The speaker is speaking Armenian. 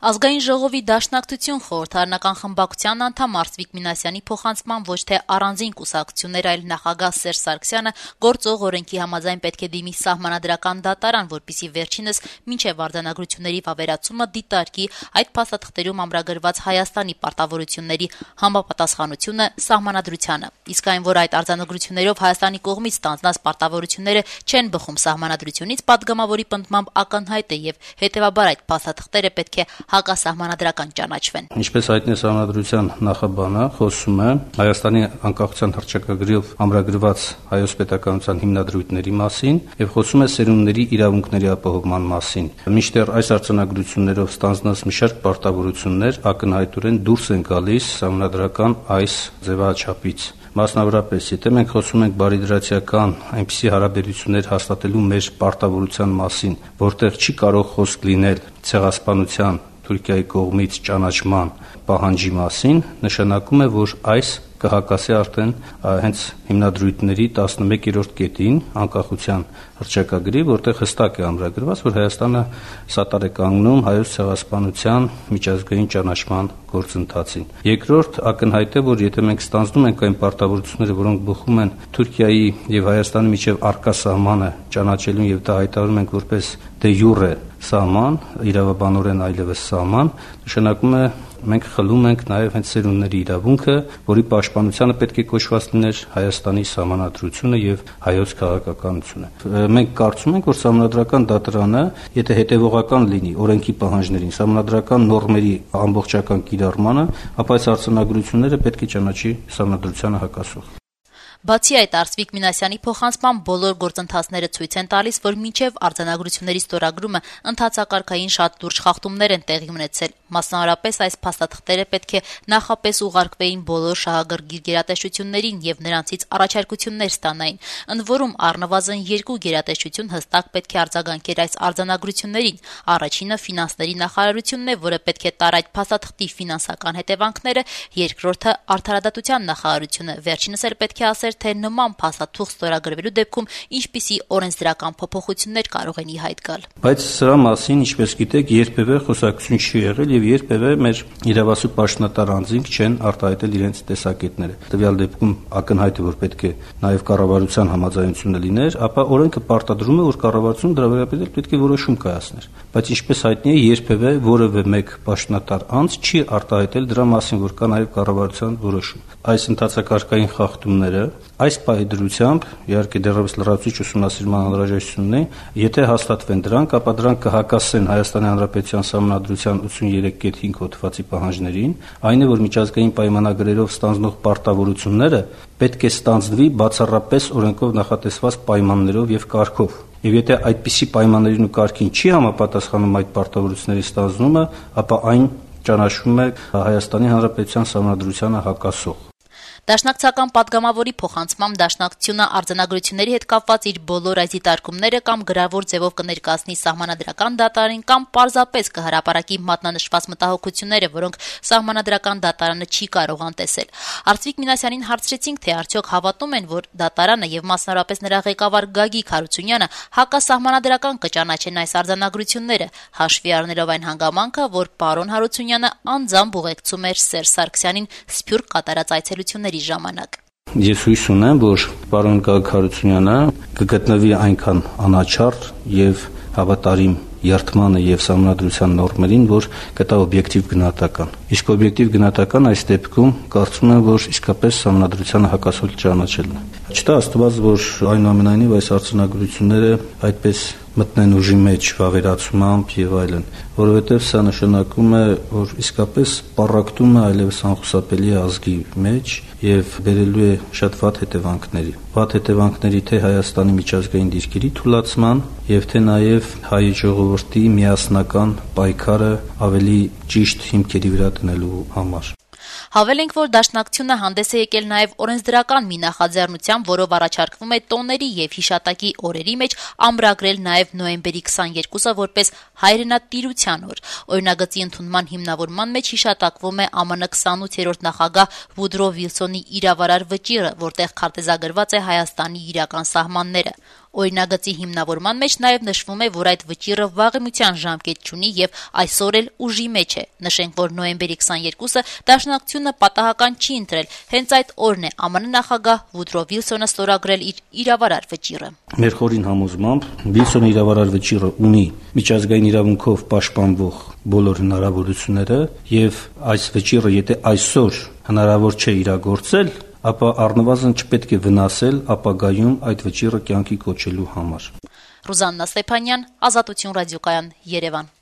Ազգային ժողովի Դաշնակցություն խորհրդարանական խմբակցության անդամ Արծվիկ Մինասյանի փոխանցման ոչ թե առանձին կուսակցություններ, այլ նախագահ Սերժ Սարգսյանը գործող օրենքի համաձայն պետք է դիմի սահմանադրական դատարան, որպեսզի վերջինս մինչև արձանագրությունների վավերացումը դիտարկի այդ փաստաթղթերում ամրագրված Հայաստանի պարտավորությունների համապատասխանությունը սահմանադրությանը։ Իսկ այն, որ այդ արձանագրություններով Հայաստանի կողմից ստանձնած պարտավորությունները չեն բխում սահմանադրությունից, պատգամավորի պնդմամբ ակնհայտ է եւ հետեւաբար այդ փաստաթղթերը պետք է հակասահմանադրական ճանաչվեն։ Ինչպես հայտնի սահմանադրության նախաբանը խոսում է Հայաստանի անկախության հռչակագրով ամրագրված հայոց պետականության հիմնադրույթների մասին եւ խոսում է սերունդների իրավունքների ապահովման մասին։ Մինչդեռ այս արձանագրություններով ստանձնած մի շարք պարտավորություններ ակնհայտորեն դուրս են գալիս սահմանադրական այս ձևաչափից։ Մասնավորապես, եթե մենք խոսում ենք բարիդրացիական այնպիսի հարաբերություններ հաստատելու մեր պարտավորության մասին, որտեղ չի կարող խոսք լինել ցեղասպանության Թուրքիայի կողմից ճանաչման պահանջի մասին, նշանակում է, որ այս կհակասի արդեն հենց հիմնադրույթների 11-րդ կետին անկախության հռչակագրի, որտեղ հստակ է ամրագրված, որ Հայաստանը սատար է կանգնում հայոց ցեղասպանության միջազգային ճանաչման գործընթացին։ Երկրորդ ակնհայտ է, որ եթե մենք ստանձնում ենք այն պարտավորությունները, որոնք բխում են Թուրքիայի եւ Հայաստանի միջև առկա սահմանը ճանաչելուն եւ դա հայտարարում ենք որպես դե յուրե սահման, իրավաբանորեն այլևս սահման, նշանակում է մենք խլում ենք նաև հենց սերունդների իրավունքը, որի պաշտպանությանը պետք է կոչված լիներ Հայաստանի սահմանադրությունը եւ հայոց քաղաքականությունը։ Մենք կարծում ենք, որ սահմանադրական դատարանը, եթե հետևողական լինի օրենքի պահանջներին, սահմանադրական նորմերի ամբողջական կիրառմանը, ապա այս արձանագրությունները պետք է ճանաչի սահմանադրությանը հակասող։ Բացի այդ, Արծվիկ Մինասյանի փոխանցման բոլոր գործընթացները ցույց են տալիս, որ մինչև արձանագրությունների ստորագրումը ընթացակարգային շատ լուրջ խախտումներ են տեղի ունեցել։ Մասնավորապես այս փաստաթղթերը պետք է նախապես ուղարկվեին բոլոր շահագրգիռ գերատեսչություններին եւ նրանցից առաջարկություններ ստանային։ Ընդ որում, առնվազն 2 գերատեսչություն հստակ պետք է արձագանքեր այս արձանագրություններին։ Առաջինը ֆինանսների նախարարությունն է, որը պետք է տար այդ փաստաթղթի ֆինանսական հետևանքները, երկրորդը արդարադատության նախարարությունը, վերջինս էլ պետք է ասեր, թե նման փաստաթուղթ ստորագրվելու դեպքում ինչպիսի օրենսդրական փոփոխություններ կարող են ի հայտ գալ։ Բայց սրա մասին, ինչպես գիտեք, երբևէ խոսակցություն չի եղել եւ երբևէ մեր իրավասու պաշտոնատար անձինք չեն արտահայտել իրենց տեսակետները։ Տվյալ դեպքում ակնհայտ է, որ պետք է նաեւ կառավարության համաձայնությունը լիներ, ապա օրենքը պարտադրում է, որ կառավարությունը դրա վերաբերյալ պետք է որոշում կայացներ։ Բայց ինչպես հայտնի է, երբևէ որևէ մեկ պաշտոնատար անձ չի արտահայտել դրա մասին, որ կա նաեւ կառավարության որոշում։ Այս ընթացակարգային խախտումները այս պահի դրությամբ, իհարկե դեռևս լրացուցիչ ուսումնասիրման անհրաժեշտություն ունի, եթե հաստատվեն դրանք, ապա դրանք կհակասեն Հայաստանի Հանրապետության Սահմանադրության 83.5 հոդվածի պահանջներին, այն է, որ միջազգային պայմանագրերով ստանձնող պարտավորությունները պետք է ստանձնվի բացառապես օրենքով նախատեսված պայմաններով եւ կարգով։ Եվ եթե այդպիսի պայմաններին ու կարգին չի համապատասխանում այդ պարտավորությունների ստանձնումը, ապա այն ճանաչվում է Հայաստանի Հանրապետության Սահմանադրությանը հակասող։ Դաշնակցական պատգամավորի փոխանցմամբ Դաշնակցությունը արձանագրությունների հետ կապված իր բոլոր այս դիտարկումները կամ գրավոր ձևով կներկայացնի սահմանադրական դատարանին կամ պարզապես կհրապարակի մատնանշված մտահոգությունները, որոնք սահմանադրական դատարանը չի կարող անտեսել։ Արծվիկ Մինասյանին հարցրեցինք, թե արդյոք հավատում են, որ դատարանը եւ մասնավորապես նրա ղեկավար Գագիկ Հարությունյանը հակասահմանադրական կճանաչեն այս արձանագրությունները, հաշվի առնելով այն հանգամանքը, որ պարոն Հարությունյանը անձամբ ուղեկցում էր Սերժ Սարգսյանին Սփյուռք կատարած այցելությունների ժամանակ։ Ես հույս ունեմ, որ պարոն Գագիկ Հարությունյանը կգտնվի այնքան անաչառ եւ հավատարիմ երթմանը եւ սահմանադրության նորմերին, որ կտա օբյեկտիվ գնահատական։ Իսկ օբյեկտիվ գնահատական այս դեպքում կարծում եմ, որ իսկապես սահմանադրությանը հակասող ճանաչելն է։ Չտա Աստված, որ այնուամենայնիվ այս արձանագրությունները այդպես մտնեն ուժի մեջ վավերացումամբ եւ այլն, որովհետեւ սա նշանակում է, որ իսկապես պառակտում է այլևս անխուսափելի ազգի մեջ եւ բերելու է շատ վատ հետևանքների։ Վատ հետևանքների թե Հայաստանի միջազգային դիրքերի թուլացման եւ թե նաեւ հայ ժողովրդի միասնական պայքարը ավելի ճիշտ հիմքերի վրա դնելու համար։ Հավելենք, որ Դաշնակցությունը հանդես է եկել նաև օրենսդրական մի նախաձեռնությամբ, որով առաջարկվում է տոների եւ հիշատակի օրերի մեջ ամրագրել նաև նոյեմբերի 22-ը որպես հայրենատիրության օր։ Օրինագծի ընդունման հիմնավորման մեջ հիշատակվում է ԱՄՆ 28-րդ նախագահ Վուդրո Վիլսոնի իրավարար վճիռը, որտեղ քարտեզագրված է Հայաստանի իրական սահմանները։ Օրինագծի հիմնավորման մեջ նաև նշվում է, որ այդ վճիռը վաղեմության ժամկետ չունի եւ այսօր էլ ուժի մեջ է։ Նշենք, որ նոյեմբերի 22-ը Դաշնակցությունը պատահական չի ընտրել, հենց այդ օրն է ԱՄՆ նախագահ Վուդրո Վիլսոնը ստորագրել իր իրավարար վճիռը։ Մեր խորին համոզմամբ Վիլսոնի իրավարար վճիռը ունի միջազգային իրավունքով պաշտպանվող բոլոր հնարավորությունները եւ այս վճիռը եթե այսօր հնարավոր չէ իրագործել, ապա առնվազն չպետք է վնասել ապագայում այդ վճիռը կյանքի կոչելու համար։ Ռուզաննա Ստեփանյան, Ազատություն ռադիոկայան, Երևան։